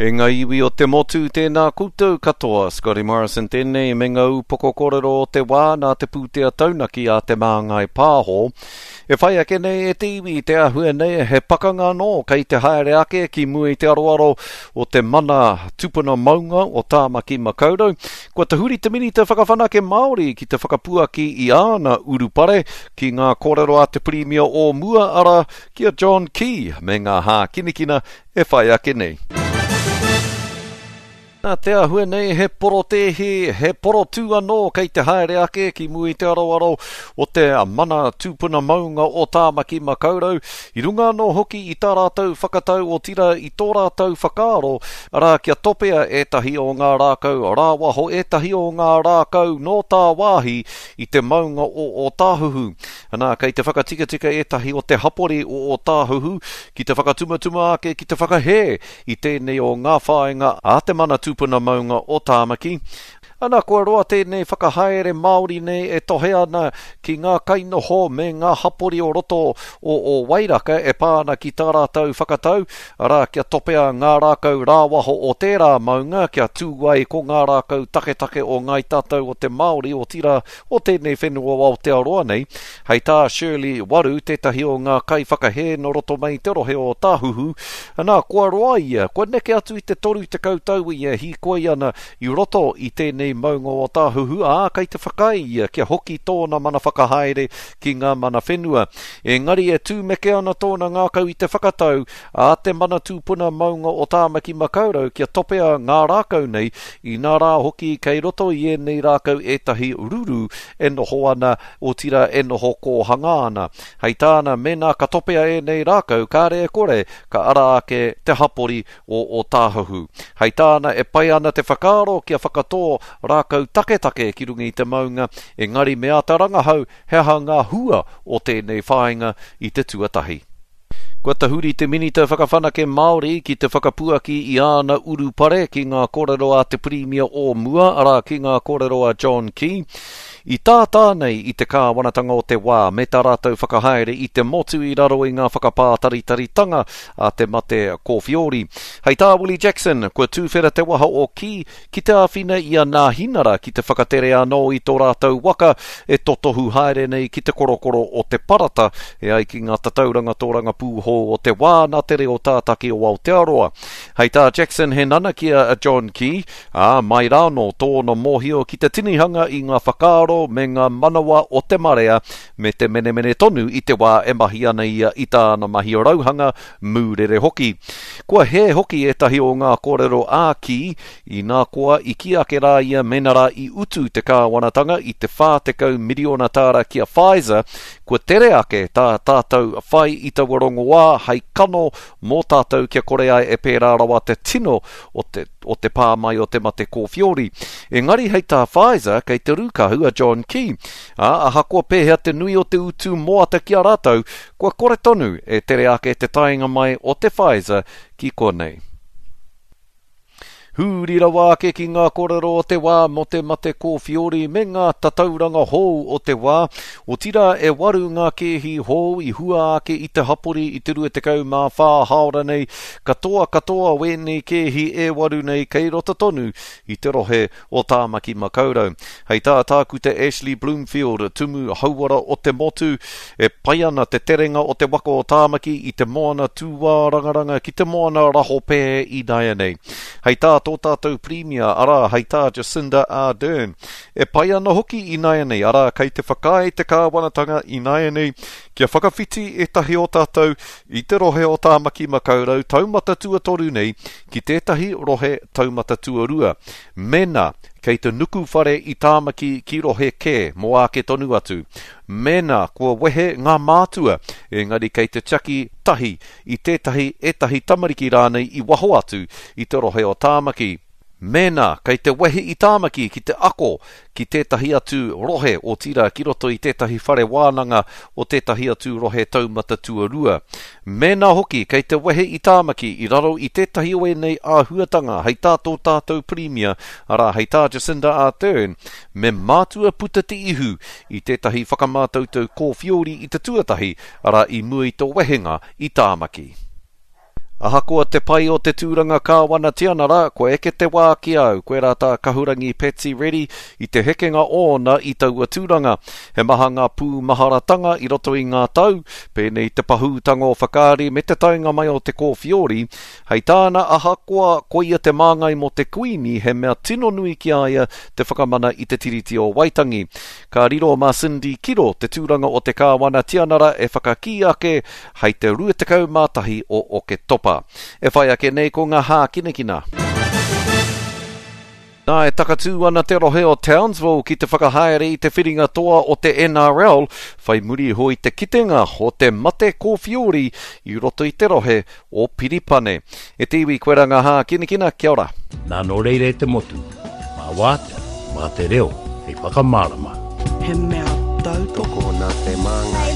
E ngā iwi o te motu, tēnā koutou katoa. Scotty Morrison tēnei me ngā upoko kōrero o te wā nā te pūtea taunaki a Te Māngai Pāho. E whai ake nei e te iwi te āhua nei he pakanga anō kei te haere ake ki mua i te aroaro o te mana tupuna maunga o Tāmaki Makaurau. Kua tahuri te Minita Whakawhanake Māori ki te whakapuaki i āna urupare ki ngā kōrero a te Pirimia o mua arā, ki a John Key me ngā hākinikina e whai ake nei. Nā te āhua nei he porotēhi, he porotū anō kei te haere ake ki mua i te aroaro o te mana tūpuna maunga o Tāmaki Makaurau, i runga anō hoki i tā rātou whakatau otirā i tō rātou whakaaro, arā kia topea ētahi o ngā rākau rāwaho, ētahi o ngā rākau nō tāwāhi i te maunga o Ōtāhuhu. Anā, kei te whakatikatika ētahi o te hapori o Ōtāhuhu ki te whakatumatuma ake ki te whakahē i tēnei o ngā whāinga a te mana tūpuna maunga o Tāmaki. Ana, kua roa tēnei whakahaere Māori nei e tohe ana ki ngā kainoho me ngā hapori o roto o Ōwairaka e pā ana ki tā rātou whakatau, arā, kia topea ngā rākau rāwaho o tērā maunga kia tū ai ko ngā rākau taketake o Ngāi Tātou o te Māori, otirā, o tēnei whenua o Aotearoa nei. Hei tā Shirley Waru, tētahi o ngā kaiwhakahē nō roto mai i te rohe o Tāhuhu, nā, kua roa ia, kua neke atu i te 30 tau ia e hīkoi ana i roto i tēnei maunga o Tāhuhu, ā, kei te whakaae ia kia hoki tōna mana whakahaere ki ngā mana whenua. Engari e tūmeke ana tōna ngākau i te whakatau a te mana tūpuna maunga o Tāmaki Makaurau kia topea ngā rākau nei, inā rā hoki kei roto i ēnei rākau ētahi ruru e noho ana, otirā e noho kōhanga ana. Hei tāna, mēnā ka topea ēnei rākau, kāre e kore ka ara ake te hapori o Ōtāhuhu. Hei tāna, e pai ana te whakaaro kia whakatō rākau taketake ki runga i te maunga, engari me āta rangahau he aha ngā hua o tēnei whāinga i te tuatahi. Kua tahuri te Minita Whakawhanake Māori ki te whakapuaki i āna urupare ki ngā kōrero a te Pirimia o mua, arā, ki ngā kōrero a John Key, i tātā nei i te kāwanatanga o te wā me tā rātou whakahaere i te motu i raro i ngā whakapātaritaritanga a te mate kōwhiori. Hei tā Willie Jackson, kua tūwhera te waha o Key ki te āwhina i a Nāhinara ki te whakatere anō i tō rātou waka e totohu haere nei ki te korokoro o Te Parata, e ai ki ngā tatauranga tōrangapū hou o te wā nā te reo tātaki o Aotearoa. Hei tā Jackson he nanakia a John Key, ā, mai rānō tōna mōhio ki te tinihanga i ngā whakaaro me ngā manawa o te marea me te menemene tonu i te wā e mahi ana ia i tāna mahi rauhanga mūrere hoki. Kua hē hoki ētahi o ngā kōrero ā-kī, inā koa i kī ake rā ia mēnā rā i utu te kāwanatanga i te 40 miriona tāra ki a Pfizer, kua tere ake tā tātou whai i taua rongoā hei kano mō tātou kia kore ai e pērā rawa te tino o te, o te pā mai o te mate kōwhiori. Engari hei tā Pfizer, kei te rūkahu a John Key, ā, ahakoa pēhea te nui o te utu moata ki a rātou, Kua kore tonu e tere ake te taenga mai o te Pfizer ki konei. Huri rawa ake ki ngā kōrero o te wā mō te mate kōwhiori me ngā tatauranga hou o te wā, otirā e waru ngā kēhi hou i hua ake i te hapori i te 24 hāora nei, katoa katoa wēnei kēhi e waru nei kei roto tonu i te rohe o Tāmaki Makaurau. Hei tā Tākuta Ashley Bloomfield, Tumu Hauora o te motu, e pai ana te terenga o te waka o Tāmaki i te moana tūārangaranga ki te moana rahopē ināianei. Hei tā tō tātou Pirimia, arā, hei tā Jacinda Ardern, e pai ana hoki ināianei, arā, kei te whakaae te kāwanatanga ināianei kia whakawhiti ētahi o tātou i te rohe o Tāmaki Makaurau taumata tuatoru nei ki tētahi rohe taumata tuarua, mēnā kei te nuku whare i Tāmaki ki rohe kē mō āke tonu atu, mēnā kua wehe ngā mātua, engari kei te tiaki tahi i tētahi, ētahi tamariki rānei i waho atu i te rohe o Tāmaki. Mēnā kei te wehi i Tāmaki ki te ako ki tētahi atu rohe, otirā ki roto i tētahi whare wānanga o tētahi atu rohe taumata tuarua. Mēnā hoki kei te wehe i Tāmaki i raro i tētahi o ēnei āhuatanga hei tā tō tātou Pirimia, arā hei tā Jacinda Ardern, me mātua puta te ihu i tētahi whakamātautau kōwhiori i te tuatahi, arā i mua i tō wehenga i Tāmaki. Ahakoa te pai o te tūranga Kāwana Tianara, kua eke te wā ki a au, koirā tā Kahurangi Patsy Reddy i te hekenga ōna i taua tūranga. He maha ngā pūmaharatanga i roto i ngā tau, pēnei te pahūtanga o Whakaari me te taenga mai o te Kōwhiori, Hei tāna, ahakoa koia te māngai mō te Kuini, he mea tino nui ki a ia te whakamana i te Tiriti o Waitangi. Ka riro mā Cindy Kiro te tūranga o te Kāwana Tianara e whakakī ake hei te 21 o Oketopa. E whai ake nei ko ngā hākinakina. Nā, e takatū ana te rohe o Townsville ki te whakahaere i te whiringa toa o te NRL, whai muri iho i te kitenga o te mate kōwhiori i roto i te rohe o Piripane. E te iwi, koe rā ngā hākinakina, kia ora. Nā nō reira e te motu, mā wātea, mā te reo hei whakamārama. He mea tautoko nā te māngai.